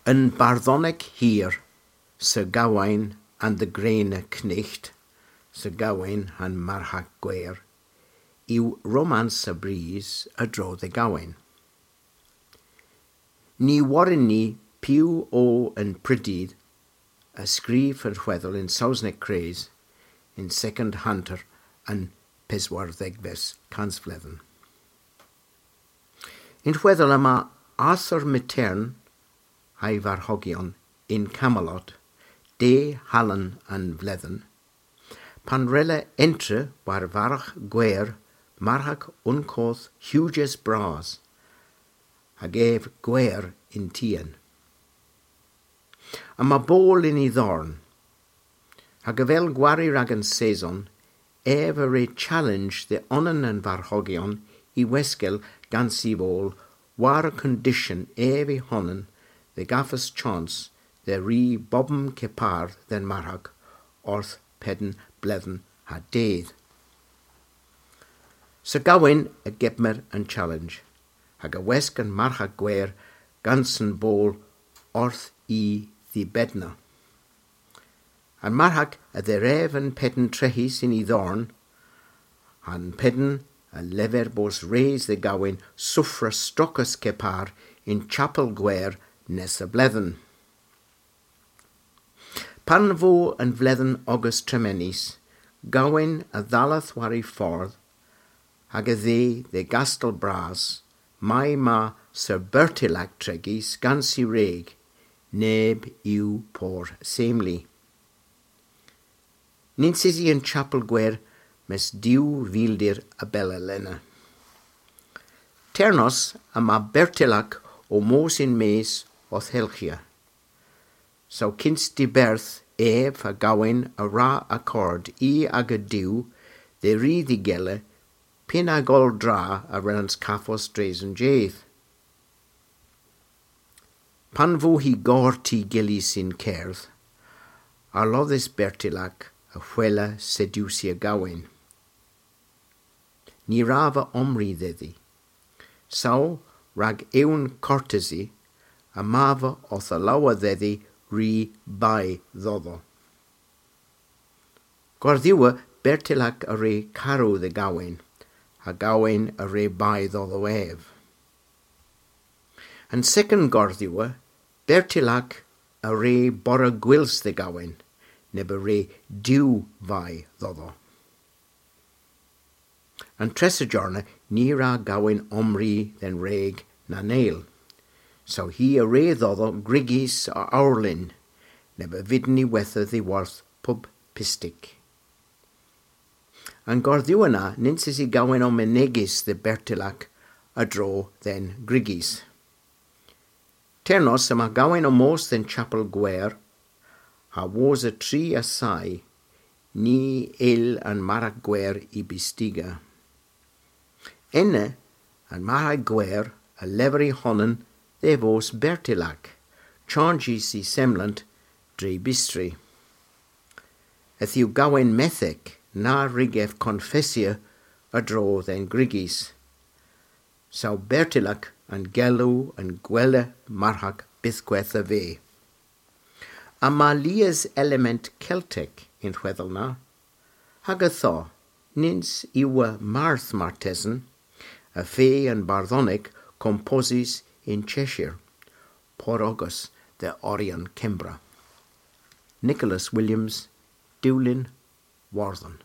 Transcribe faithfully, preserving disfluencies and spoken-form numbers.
An bardhonek hir, Sir Gawain and the Grene Knecht, Sir Gawain ha'n Marghak Gwer, yw romans a bris a-dro dhe Gawain. Ny worren ni piw o an prydydh a skrif an hwedhel yn Sowsnek kres yn Secondhunter an peswardhegves kansvledhen. Yn hwedhel yma Arthur Myghtern ha'y varghogyon yn Camelot, de Hallow an Vledhen, pan wrella entra war vargh gwer Marghak Unkoth Huges Bras, hag ev gwer yn tien. Yma boll yn y dhorn, hag avel gwari rag an seson, ev a wre challenge dhe onan an varghogyon y weskel gans y vowl war kondisyon ev y honan dhe gavas chons dhe ri bobm kepar dhe'n marghak orth pedn bledhen ha dydh. Sir Gawain a gebmer an challenge, hag a wesk an Marghak Gwer gans an boll orth y dhibedna. An marghak a dherev an pedn trehys yn y dhorn, ha'n pedn a lever bos res dhe Gawain sufra strokys kepar yn chapel gwer nessa bledhen. Pan vo an vledhen ogas tremenys, Gawain a dhalleth war y fordh, hag a dheu dhe Gastel Bras, may ma Sir Bertilak tregys gans y wreg, neb yw por semli. Nyns usi an chapel gwer mes diw vildir a bella lena. Ternos yma Bertilak ow mos yn-mes owth helghya. Saw kyns diberth ev ha Gawain a wra akord y aga diw dhe ri dh'y gila pynn hag oll dra a wrellans kavos dres an jydh. Pan vo hy gorti gyllys yn kerdh, arlodhys Bertilak a hwella sediwsya Gawain. Ny wrav vy omri dhedhi. Saw rag ewn kortesi, yma vy owth alowa dhedhi ri bay dhodho. Gardhyewa Bertilak a wre karow dhe Gawain, ha Gawain a wre bay dhodho ev. An second gardhyewa, Bertilak a wre borra gwyls dhe Gawain, neb a wre diw vay dhodho. An tressa jorna ny wra Gawain omri dhe'n wreg na neyl. Saw hi a wre dhodho grygys a owrlyn, neb a vydn y wetha dhyworth pub pystik. An gardhyewa na nyns usi Gawain ow menegys dhe Bertilak a-dro dhe'n grygys. Ternos yma Gawain ow mos dhe'n chapel gwer, ha wosa tri assay, ny yll an Marghak Gwer y bystiga. Ena, an Marghak Gwer a lever y honan dhe vos Bertilak, chanjys y semlant dre bystri. Yth yw Gawain medhek na wrug ev konfessya a-dro dhe'n grygys. Saw Bertilak an gelow an gwella marghak bythkweth a veu. Yma lies element Keltek y'n hwedhel na, hag ytho, nyns yw marth martesen, y feu an bardhonek komposys yn Cheshire, por ogas dhe Orian Kembra. Nicholas Williams, Dulyn Wardhan.